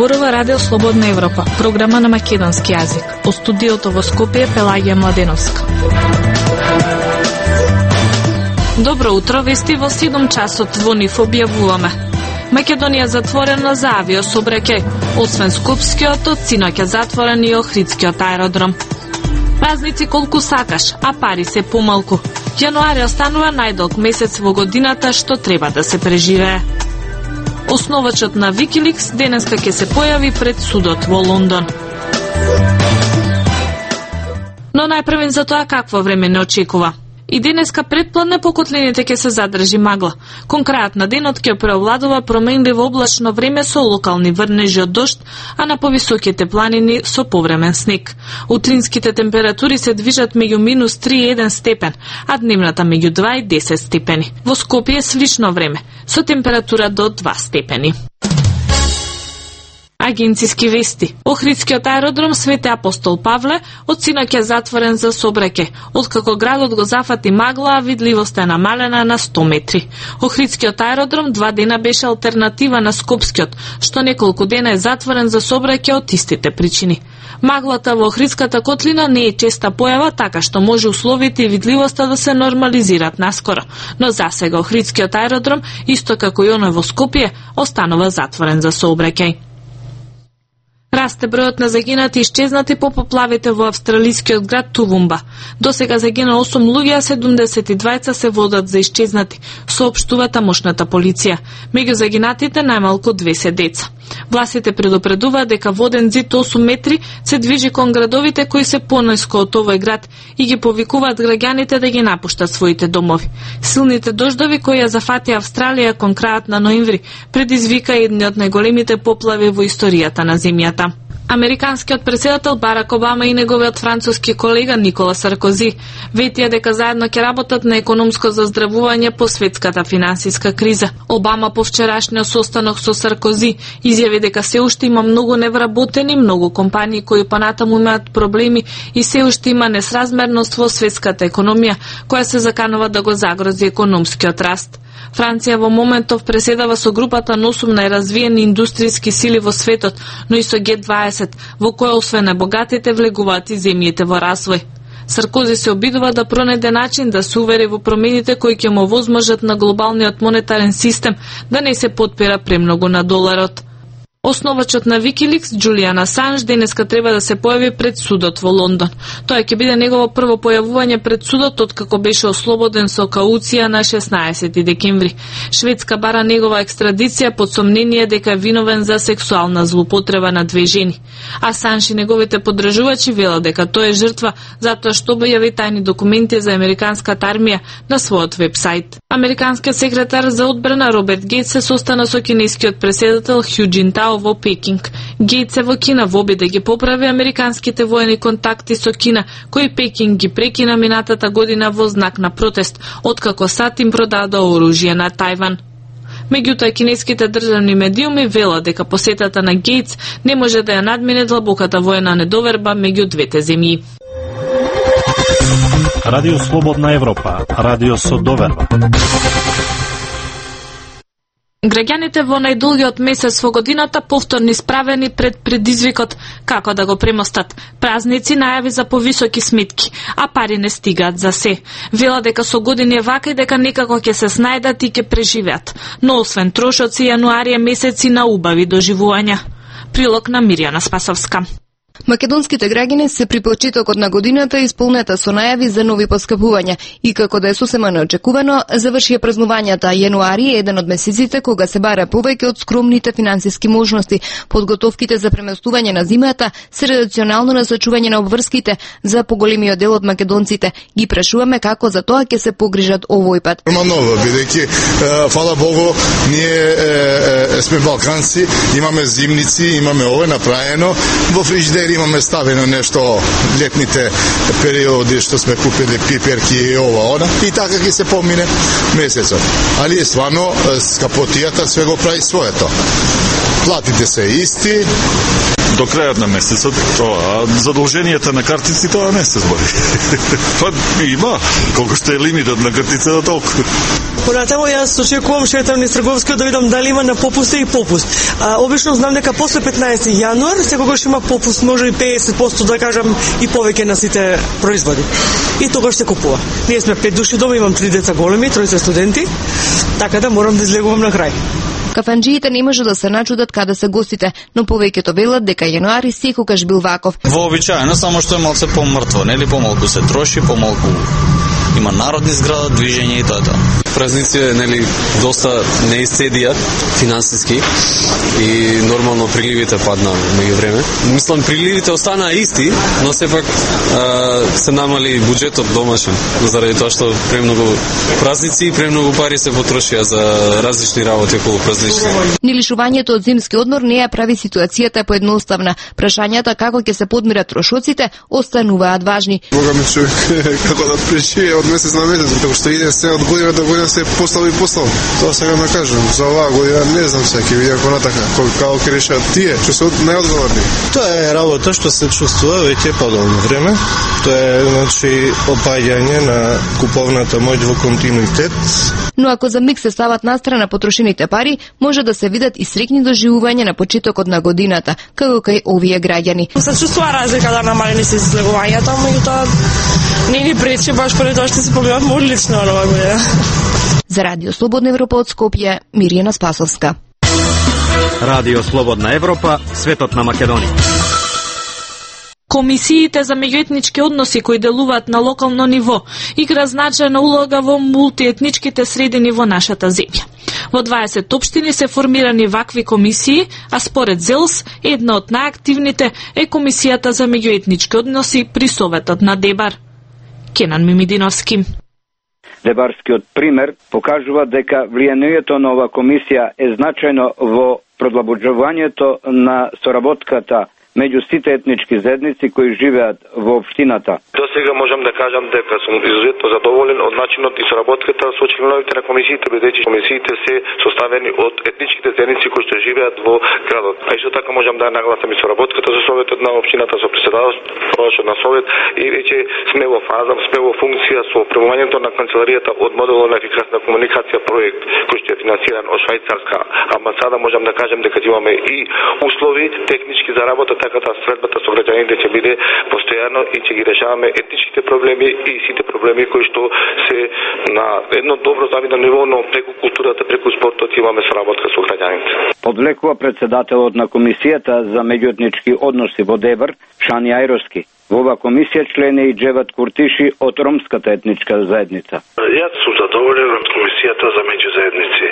зборува Радио Слободна Европа, програма на македонски јазик. Од студиото во Скопје Пелагија Младеновска. Добро утро, вести во 7 часот во НИФ објавуваме. Македонија затворена за авиособраќај, освен Скопскиот, од синоќа затворен и Охридскиот аеродром. Празници колку сакаш, а пари се помалку. Јануари останува најдолг месец во годината што треба да се преживее. Основачот на Wikileaks денеска ќе се појави пред судот во Лондон. Но најпрвен за тоа какво време не очекува. И денеска предпладне по котлините ќе се задржи магла. Кон крајот на денот ќе преовладува променливо облачно време со локални врнежи од дожд, а на повисоките планини со повремен снег. Утринските температури се движат меѓу -3 и 1 степен, а дневната меѓу 2 и 10 степени. Во Скопје е слично време, со температура до 2 степени. Агенциски вести. Охридскиот аеродром Свети Апостол Павле од синоќа затворен за сообраќај, откако градот го зафати магла, а видливоста е намалена на 100 метри. Охридскиот аеродром 2 дена беше алтернатива на Скопскиот, што неколку дена е затворен за сообраќај од истите причини. Маглата во Охридската котлина не е честа појава, така што може условите и видливоста да се нормализираат наскоро, но засега Охридскиот аеродром, исто како и оној во Скопје, останува затворен за сообраќај. Расте бројот на загинати и исчезнати по поплавите во австралискиот град Тувумба. Досега загина 8 луѓе, а 72 се водат за исчезнати, соопштува тамошната полиција. Меѓу загинатите најмалку 2 се деца. Властите предупредуваат дека воден зид 8 метри се движи кон градовите кои се понајско од овој град и ги повикуваат граѓаните да ги напуштат своите домови. Силните дождови кои ја зафатија Австралија кон крајот на ноември предизвика едни од најголемите поплави во историјата на земјата. Американскиот претседател Барак Обама и неговиот француски колега Никола Саркози ветија дека заедно ќе работат на економско заздравување по светската финансиска криза. Обама по вчерашниот состанок со Саркози изјави дека се уште има многу невработени, многу компании кои понатаму имаат проблеми и се уште има несразмерност во светската економија, која се заканува да го загрози економскиот раст. Франција во моментов преседава со групата на 8 најразвиени индустријски сили во светот, но и со Г20, во која освен најбогатите влегуваат и земјите во развој. Саркози се обидува да пронајде начин да се увери во промените кои ќе му овозможат на глобалниот монетарен систем да не се потпира премногу на доларот. Основачот на Wikileaks, Джулиан Асанж, денеска треба да се појави пред судот во Лондон. Тоа ќе биде негово прво појавување пред судот откако беше ослободен со кауција на 16 декември. Шведска бара негова екстрадиција под сомнение дека е виновен за сексуална злоупотреба на 2 жени. Асанж и неговите поддржувачи велат дека тој е жртва затоа што објави тајни документи за американската армија на својот вебсайт. Американскиот секретар за одбрана Роберт Гејтс се состана со кинескиот претседател Хју Џинтао во Пекинг. Гејтс е во Кина во обид да ги поправи американските воени контакти со Кина, кои Пекинг ги прекина минатата година во знак на протест, откако САД им продадоа оружје на Тајван. Меѓутоа, кинеските државни медиуми велат дека посетата на Гејтс не може да ја надмине длабоката воена недоверба меѓу двете земји. Радио Слободна Европа, радио со доверба. Граѓаните во најдолгиот месец во годината повторно исправени пред предизвикот како да го премостат. Празници, најави за повисоки сметки, а пари не стигаат за се. Вела дека со години е вака и дека некако ќе се снајдат и ќе преживеат. Но освен трошоци, јануари е месеци на убави доживувања. Прилог на Мирјана Спасовска. Македонските граѓани се при почетокот на годината исполнета со најави за нови поскапувања и како да е сосема неочекувано, завршија празнувањата. Јануари е еден од месеците кога се бара повеќе од скромните финансиски можности. Подготовките за преместување на зимата се рационално насочување на обврските за поголемиот дел од македонците. Ги прашуваме како за тоа ќе се погрижат овој пат. Нормално, бидејќи фала Богу, ние сме балканци, имаме зимници, имаме ова направено во фрижидер, имаме ставено нешто летните периоди што сме купили пиперки и ова, она, и така ќе се помине месецот. Али е стварно скапотијата све го прави своето. Платите се исти, до крајот на месецот, а задолженијата на картици тоа не се збори. Па има, колку што е лимитот на картицата толку. Понатамо јас очекувам шетам низ трговскиот да видам дали има на попуст и попуст. Обично знам дека после 15 јануар секогаш има попуст, може и 50% да кажам и повеќе на сите производи. И тогаш се купува. Ние сме 5 души дома, имам 3 деца големи, 3 студенти, така да морам да излегувам на крај. Кафанџиите не може да се начудат каде се гостите, но повеќето велат дека јануари секогаш бил ваков. Вообичаено, само што е малце помртво, нели помалку се троши, помалку има народни зграда, движење и тоа. Празници, нели, доста не исцедија финансиски и нормално приливите падна меѓу време. Мислам, приливите останаа исти, но сепак се намали буџетот домашен, заради тоа што премногу празници и премногу пари се потрошија за различни работи околу празниците. Ни лишувањето од зимски одмор не ја прави ситуацијата поедноставна. Прашањата како ќе се подмират трошоците остануваат важни. Бога ми човек како да преживее од месец на месец, како што иде се од година до година се постал и постал. Тоа сега да кажам, за оваа година не знам се ќе видам понатака како ќе решат тие, што се најодговорни. Тоа е работа што се чувствува веќе подолно време. Тоа е значи опаѓање на куповната моќ во континуитет. Но ако за миг се стават настрана потрошените пари, може да се видат и среќни доживувања на почетокот на годината, како кај овие граѓани. Се чувствува разлика да намалени се излегувањата, меѓутоа не ни пречи баш поради тоа што се побивавме одлично оваа година. За Радио Слободна Европа од Скопје, Мирјана Спасовска. Радио Слободна Европа, светот на Македонија. Комисиите за меѓуетнички односи кои делуваат на локално ниво игра значајна улога во мултиетничките средини во нашата земја. Во 20 општини се формирани вакви комисии, а според ЗЕЛС, една од најактивните е Комисијата за меѓуетнички односи при Советот на Дебар. Кенан Мимидиновски. Дебарскиот пример покажува дека влијанието на оваа комисија е значајно во продлабоџувањето на соработката меѓу сите етнички заедници кои живеат во општината. До сега можам да кажам дека сум изузетно задоволен од начинот и соработката со членовите на комисиите, бидејќи комисиите се составени од етничките заедници кои што живеат во градот. А исто така можам да нагласам и соработката со советот на општината, со претседателството на совет и веќе сме во фаза, сме во функција со премувањето на канцеларијата од моделот на ефикасна комуникација проект кој што е финансиран од швајцарска амбасада. Можам да кажам дека имаме и услови технички за работа, така да средбата со граѓаните ќе биде постојано и ќе ги решаваме етничките проблеми и сите проблеми кои што се на едно добро завидно ниво, но преку културата, преку спортот имаме соработка со граѓаните. Подвлекува председателот на комисијата за меѓуетнички односи во Дебар, Шани Ајровски. Во оваа комисија член е и Джеват Куртиши од ромската етничка заедница. Јас сум задоволен од комисијата за меѓузаедници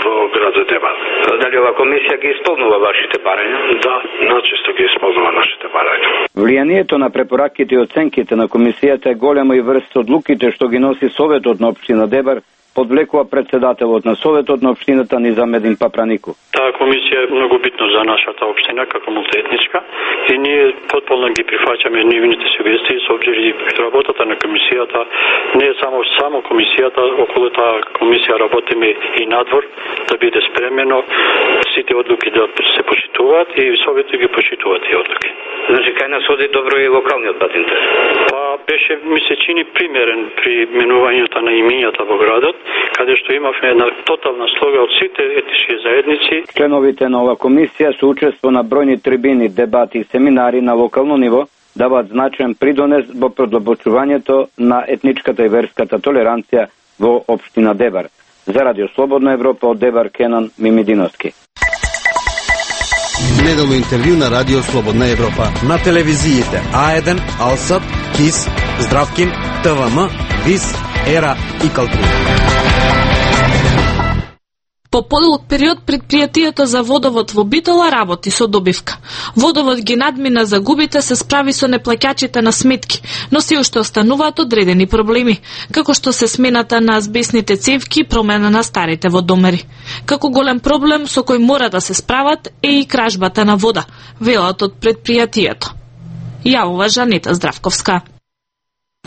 во градот Дебар. Дали оваа комисија ги исполнува вашите барања? Да, начесто ги исполнува нашите барања. Влијанието на препораките и оценките на комисијата е големо и врз одлуките што ги носи Советот на општина Дебар, подвлекува председателот на Советот на општината Низамедин Папранику. Таа комисија е многу битна за нашата општина како мултиетничка и ние потполно ги прифаќаме нивните сугестии со обзир и работата на комисијата. Не е само комисијата, околу таа комисија работиме и надвор да биде спремено сите одлуки да се почитуваат и Советот ги почитуваат и одлуки. Значи кај нас оди добро и локалниот патентар. Па беше, ми се чини примерен при менувањето на имињата во градот, каде што имавме една тотална слога од сите етнички заедници. Членовите на оваа комисија со учество на бројни трибини, дебати и семинари на локално ниво даваат значаен придонес во продлабочувањето на етничката и верската толеранција во општина Дебар. За Радио Слободна Европа од Дебар, Кенан Мимидиновски. Неделно интервју на Радио Слободна Европа. На телевизиите А1, Алсат, КИС, Здравкин, ТВМ, ВИС, ЕРА и Калтри. По подолг период предпријатието за водовод во Битола работи со добивка. Водовод ги надмина загубите, се справи со неплаќачите на сметки, но се уште остануваат одредени проблеми, како што се смената на азбесните цевки и промена на старите водомери. Како голем проблем со кој мора да се справат е и кражбата на вода, велат од предпријатието. Јавува Жанета Здравковска.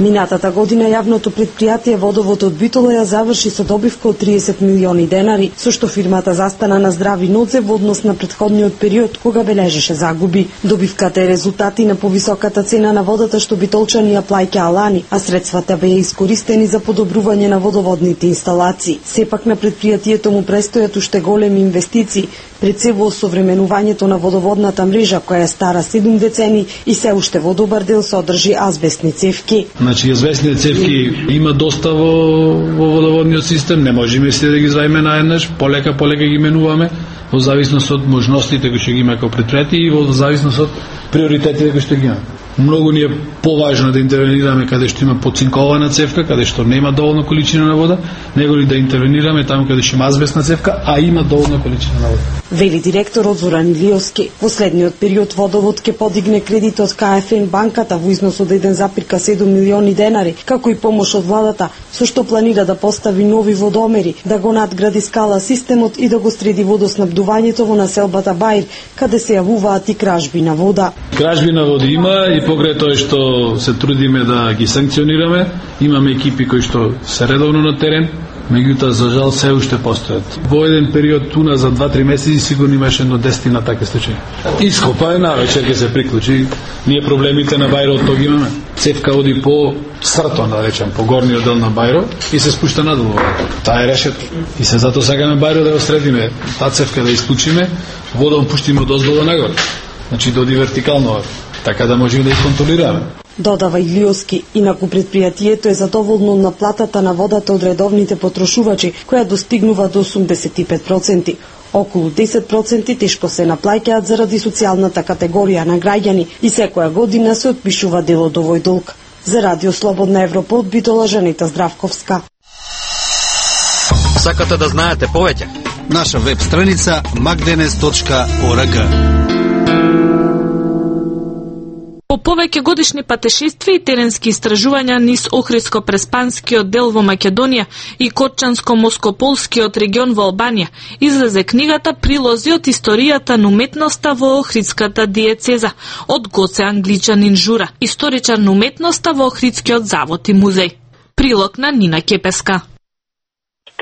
Минатата година јавното предпријатие Водовод од Битола ја заврши со добивка од 30 милиони денари, со што фирмата застана на здрави нозе во однос на претходниот период кога бележеше загуби. Добивката е резултати на повисоката цена на водата што битолчани ја плаќаа лани, а средствата беа искористени за подобрување на водоводните инсталации. Сепак на предпријатието му престојат уште големи инвестиции, пред се во осовременувањето на водоводната мрежа која е стара 7 децени и се уште во добар дел содржи азбестни цевки. Значи, азбестните цевки има доста во водоводниот систем, не можеме се да ги изваиме наеднаш, полека ги менуваме, во зависност од можностите кои што ги има како предпријатие и во зависност од приоритетите кои што ги има. Многу ни е поважно да интервенираме каде што има поцинкована цевка, каде што нема доволно количина на вода, него ли да интервенираме таму каде што има азбестна цевка, а има доволно количина на вода. Вели директорот Зоран Илиовски. Во следниот период Водовод ќе подигне кредит од КФН банката во износ од 1,7 милиони денари, како и помош од владата, со што планира да постави нови водомери, да го надгради скала системот и да го среди водоснабдувањето во населбата Баир, каде се јавуваат и кражби на вода. Кражби на вода има и покрај тоа што се трудиме да ги санкционираме, имаме екипи кои што се редовно на терен, меѓутоа за жал се уште постојат. Во еден период туна за 2-3 месеци сигурно имаше едно 10 на такви случаи. Ископа е навечер ќе се приклучи, ние проблемите на Бајро тоа ги имаме. Цевка оди по срто, да речем, по горниот дел на Бајро и се спушта надолу. Таа е решето. И се затоа сакаме Бајро да го средиме, таа цевка да исклучиме, водом пуштиме од оздолу нагоре. Значи доди вертикално, така да можеме да ја контролираме. Додава Илиовски, инаку предпријатието е задоволно на платата на водата од редовните потрошувачи, која достигнува до 85%. Околу 10% тешко се наплаќаат заради социјалната категорија на граѓани и секоја година се отпишува дел од овој долг. За Радио Слободна Европа од Битола, Жанита Здравковска. Сакате да знаете повеќе? Наша веб страница magdenes.org. По повеќе годишни патешествија и теренски истражувања низ Охридско-Преспанскиот дел во Македонија и Корчанско-Москополскиот регион во Албанија излезе книгата Прилози од историјата на уметноста во Охридската диецеза од Гоце Англичанин Жура, историчар на уметноста во Охридскиот завод и музеј. Прилог на Нина Кепеска.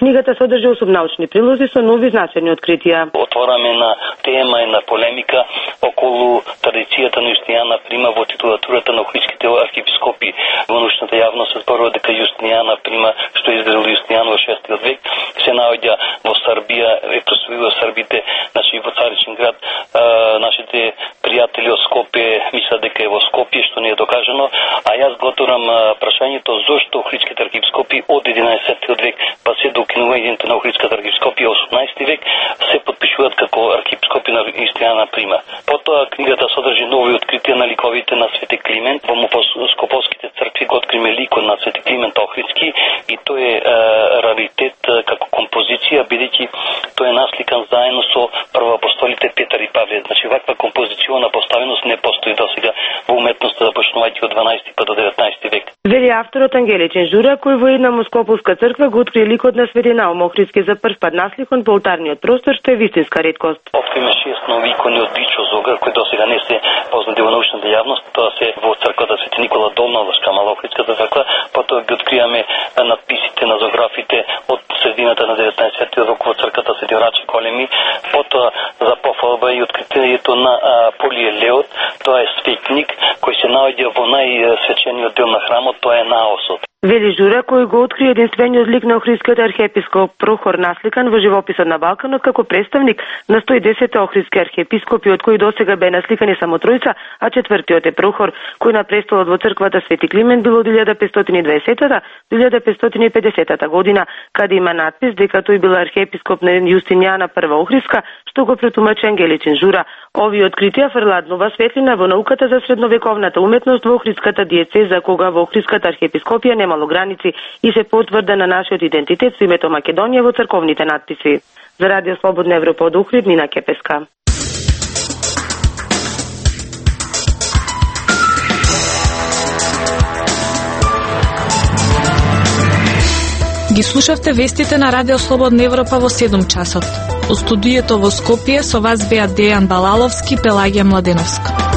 Книгата содржи 8 научни прилози со нови значени откритија. Отвораме на тема и на полемика околу традицијата на Јустинијана Прима во титулатурата на охридските архиепископи. Во научната јавност се зборува дека Јустинијана Прима, што е изградил Јустинијан во 6 век, се наоѓа во Србија, е прославила Србите, значи во Царичен град. Нашите пријатели од Скопје мислат дека е во Скопје, што не е докажано, а јас го отворам прашањето зошто охридските архиепископи од 11 век па се до укинувањето на Охридската архиепископија 18 век се подпишуваат како архиепископи на Јустинијана Прима. Потоа книгата содржи нови откритија на ликовите на Свети Климент. Во Скопските цркви го откриме ликот на Свети Климент Охридски и тој е раритет како композиција, бидејќи тој е насликан заедно со првоапостолите Петар и Павле. Значи ваква композициона поставеност не постои досега во уметноста, започнувајќи од 12 па до 19 век. Вели авторот Ангеличен Жура, кој во една Москополска црква го открие ликот на Свети Наум Охридски за прв пат насликон по олтарниот простор, што е вистинска реткост. Откриме 6 нови икони од Дичо Зогар, кои досега не се познати во научната јавност. Тоа се во црквата Свети Никола Долна, Лашка Мала Охридската црква. Потоа ги откријаме надписите на зографите од средината на 19 век во црквата Свети Рачи Колеми. Потоа за пофалба и откритието на Полиелеот, тоа е светник кој се наоѓа во најсвечениот дел на храмот, тоа е наосот. Вели Жура, кој го открие единствениот лик на охридскиот архиепископ Прохор насликан во живописот на Балканот како представник на 110 охридски архиепископи, од кои досега бе насликани само тројца, а четвртиот е Прохор, кој на престолот во црквата Свети Климент бил од 1520 до 1550 година, каде има надпис дека тој бил архиепископ на Јустинијана Прва Охридска, што го претумачи Ангеличен Жура. Овие откритија фрлаат нова светлина во науката за средновековната уметност во Охридската диецеза, кога во Охридската архиепископија немало граници и се потврда на нашиот идентитет со името Македонија во црковните надписи. За Радио Слободна Европа од Охрид, Нина Кепеска. Ги слушавте вестите на Радио Слободна Европа во 7 часот. Од студиото во Скопје со вас беа Дејан Балаловски, Пелагија Младеновска.